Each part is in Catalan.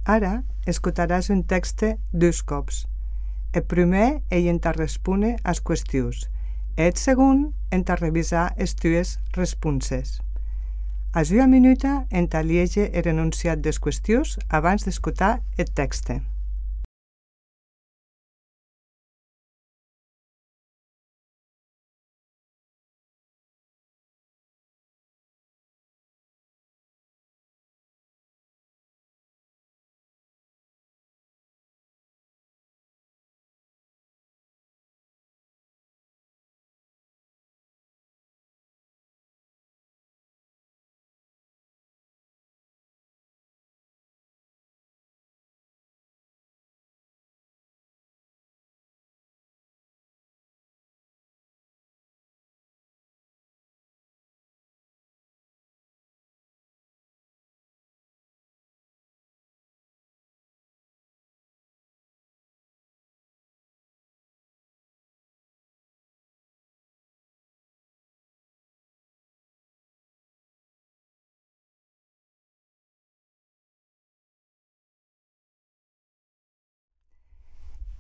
Ara escutaràs un text 2 cops. El primer ell entà respondre as qüestions. El segon entà revisar es tues responses. A una minuta entà liege el enunciat des qüestions abans d'escutar el text.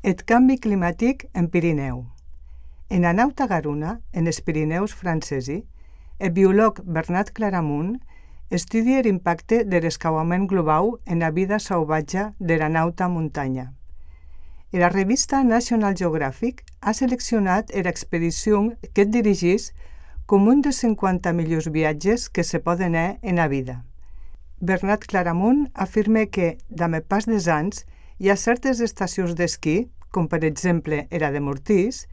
El canvi climàtic en Pirineu. En la nau Tagaruna, en els Pirineus francesi, el biòleg Bernat Claramunt estudia l'impacte de l'escalfament global en la vida salvatge de la nauta muntanya. La revista National Geographic ha seleccionat l'expedició que dirigeix com un dels 50 millors viatges que se poden fer en la vida. Bernat Claramunt afirma que, amb el pas dels anys, hi ha certes estacions d'esquí, com per exemple la de Mortís,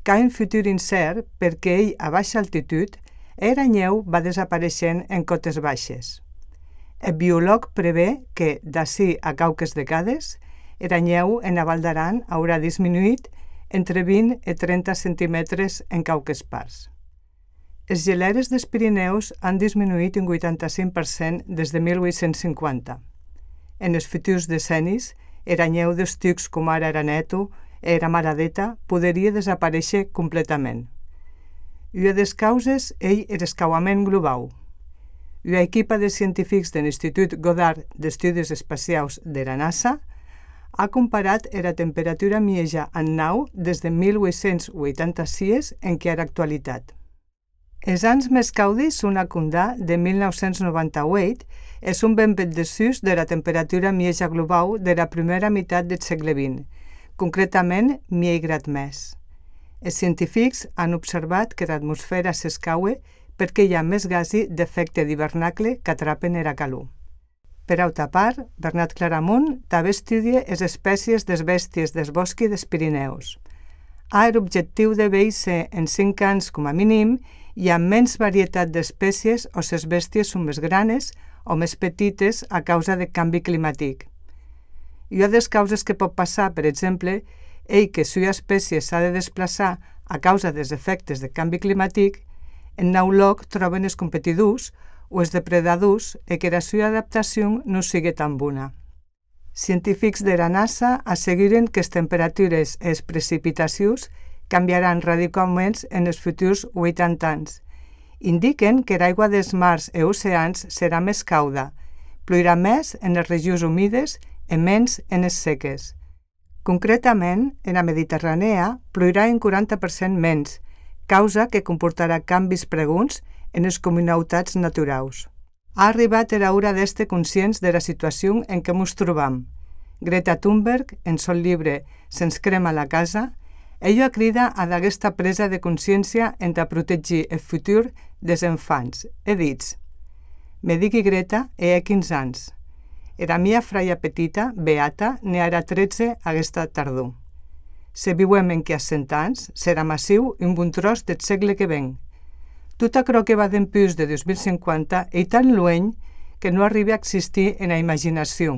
que ha un futur incert perquè ell, a baixa altitud, la neu va desapareixent en cotes baixes. El biòleg prevé que, d'ací a cauques decades, la neu en la Val d'Aran haurà disminuït entre 20 i 30 centímetres en cauques parts. Els geleres dels Pirineus han disminuït un 85% des de 1850. En els futurs decennis, la neu dels tucs com ara Araneto i la Maradeta podria desaparèixer completament. Una de les causes és l'escalfament global. Una equipa de científics de l'Institut Goddard d'Estudis Espacials de la NASA ha comparat la temperatura mitjana en nau des de 1886 en què era actualitat. Els anys més caudis són a Condà de 1998 és un ben poc desús de la temperatura mitjana global de la primera meitat del segle XX, concretament 1,000 graus més. Els científics han observat que l'atmosfera s'escaua perquè hi ha més gasos d'efecte d'hivernacle que atrapen la calor. Per altra part, Bernat Claramunt també estudia les espècies de bèsties dels boscos dels Pirineus. Ha l'objectiu de veure en 5 anys com a mínim hi ha menys varietat d'espècies o les bèsties són més grans o més petites a causa del canvi climàtic. Una de les causes que pot passar, per exemple, és que si una espècie s'ha de desplaçar a causa dels efectes del canvi climàtic, en nou lloc troben els competidors o els depredadors i que la seva adaptació no sigui tan bona. Científics de la NASA asseguren que les temperatures i les precipitacions canviaran radicalment en els futurs 80 anys. Indiquen que l'aigua dels mars i oceans serà més cauda, plourà més en les regions humides i menys en les seques. Concretament, en la Mediterrània plourà un 40% menys, causa que comportarà canvis pregunts en les comunitats naturals. Ha arribat l'hora d'estar conscients de la situació en què ens trobam. Greta Thunberg, en son llibre «Se'ns crema la casa», ella crida a aquesta presa de consciència en de protegir el futur dels infants. He dit, me digui Greta, he 15 anys. La meva fraia petita, Beata, n'hi ara 13 aquesta tardor. Si viuem en que a 100 anys, serà massiu un bon tros del segle que ven. Tot això que va d'empús de 2050 és tan lluny que no arriba a existir en la imaginació.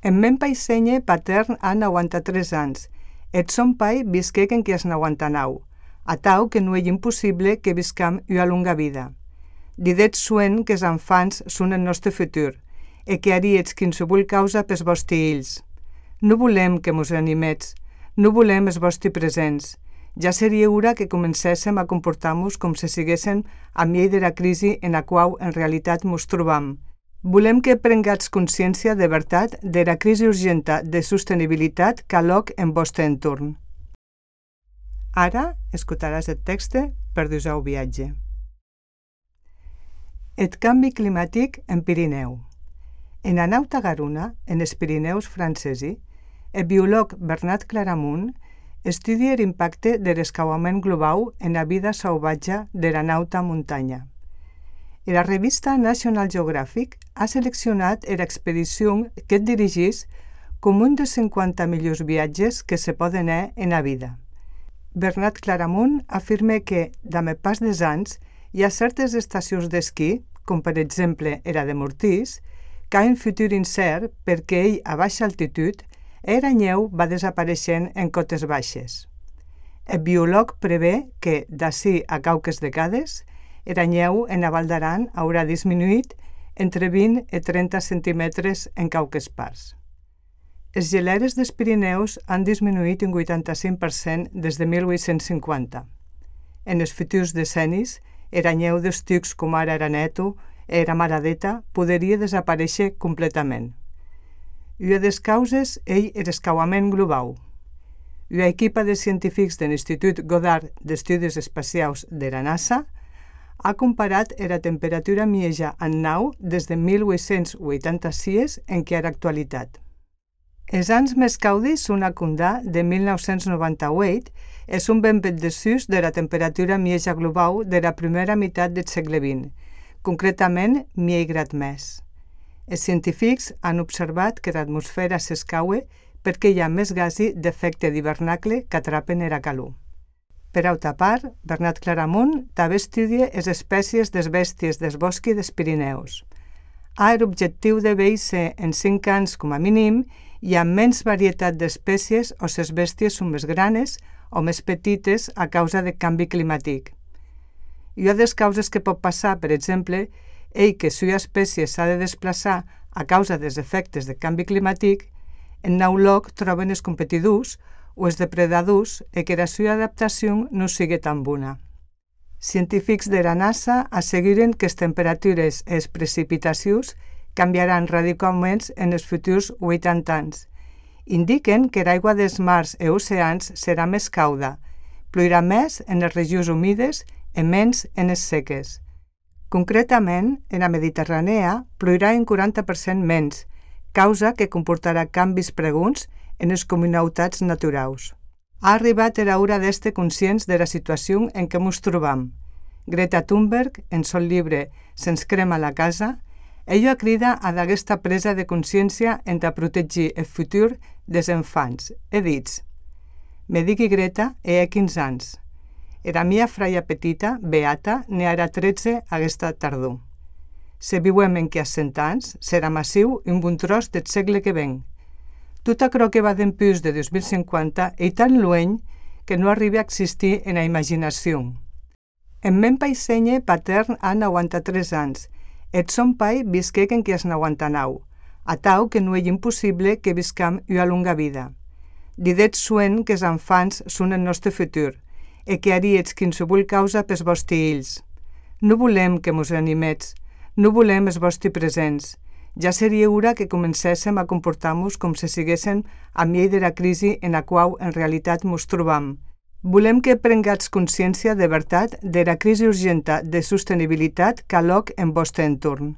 En men paissenye patern ha 93 anys. Et son pai visqué en qui es 99, a tau que no és impossible que viscam una longa vida. Didet suen que els infants són el nostre futur i que haríets qualsevol causa pels vostres fills. No volem que mos animets, no volem els vostres presents. Ja seria hora que comencéssim a comportar-nos com si siguéssim a mi de la crisi en la qual en realitat mos trobam. Volem que prengatz consciència de veritat de la crisi urgenta de sostenibilitat qu'aloc en vostre entorn. Ara escoltaràs el text per dusau viatge. El canvi climàtic en Pirineu. En la nauta Garuna, en els Pirineus francesi, el biòleg Bernat Claramunt estudia l'impacte de l'escauament global en la vida salvatge de la nauta muntanya. La revista National Geographic ha seleccionat l'expedició que et dirigís com un dels 50 millors viatges que se poden fer en la vida. Bernat Claramunt afirma que, amb el pas dels anys, hi ha certes estacions d'esquí, com per exemple la de Mortís, que ha un futur incert perquè ell, a baixa altitud, la neu va desapareixent en cotes baixes. El biòleg prevé que, d'ací a cauques decades, la neu en la Val d'Aran haurà disminuït entre 20 i 30 centímetres en cauques parts. Els geleres dels Pirineus han disminuït un 85% des de 1850. En els futurs decennis, la neu dels tucs com ara Araneto i la Maradeta podria desaparèixer completament. Una de les causes és l'escauament global. Una equipa de científics de l'Institut Goddard d'Estudis Espacials de la NASA ha comparat la temperatura mitjana en nau des de 1886 en què era actualitat. Els anys més caudis són a Condà de 1998 és un ben bet desús de la temperatura mitjana global de la primera meitat del segle XX, concretament 1,000 graus més. Els científics han observat que l'atmosfera s'escaua perquè hi ha més gasos d'efecte d'hivernacle que atrapen la calor. Per altra part, Bernat Claramunt també estudia les espècies de bèsties dels boscos dels Pirineus. Ha l'objectiu de veure en 5 anys com a mínim hi ha menys varietat d'espècies o les bèsties són més granes o més petites a causa del canvi climàtic. Una de les causes que pot passar, per exemple, és que si una espècie s'ha de desplaçar a causa dels efectes del canvi climàtic, en nou lloc troben els competidors o els depredadors i que la seva adaptació no sigui tan bona. Científics de la NASA asseguren que les temperatures i les precipitacions canviaran radicalment en els futurs 80 anys. Indiquen que l'aigua dels mars i oceans serà més cauda, plourà més en les regions humides i menys en les seques. Concretament, en la Mediterrània plourà un 40% menys, causa que comportarà canvis pregunts en les comunitats naturals. Ha arribat l'hora d'estar conscients de la situació en què ens trobam. Greta Thunberg, en son llibre Se'ns crema la casa, ella crida a d'aquesta presa de consciència en de protegir el futur dels infants. He dit, me digui Greta e 15 anys. La mia fraia petita, Beata, ne ara 13 aquesta tardor. Si viuem en que a 100 anys, serà massiu un bon tros del segle que ven. Tot aquello que va d'empús de 2050 és tan lluny que no arriba a existir en la imaginació. En men paissenye patern ha 93 anys. Et son pai visquec en que has 99, a tau que no és impossible que viscam una longa vida. Didet suen que els infants són el nostre futur i que haríets qualsevol causa pels vostres fills. No volem que mos animets, no volem els vostres presents. Ja seria hora que comencéssim a comportar-nos com si siguéssim a mi de la crisi en la qual en realitat mos trobam. Volem que prengatz consciència de veritat de la crisi urgenta de sostenibilitat qu'aloc en vostre entorn.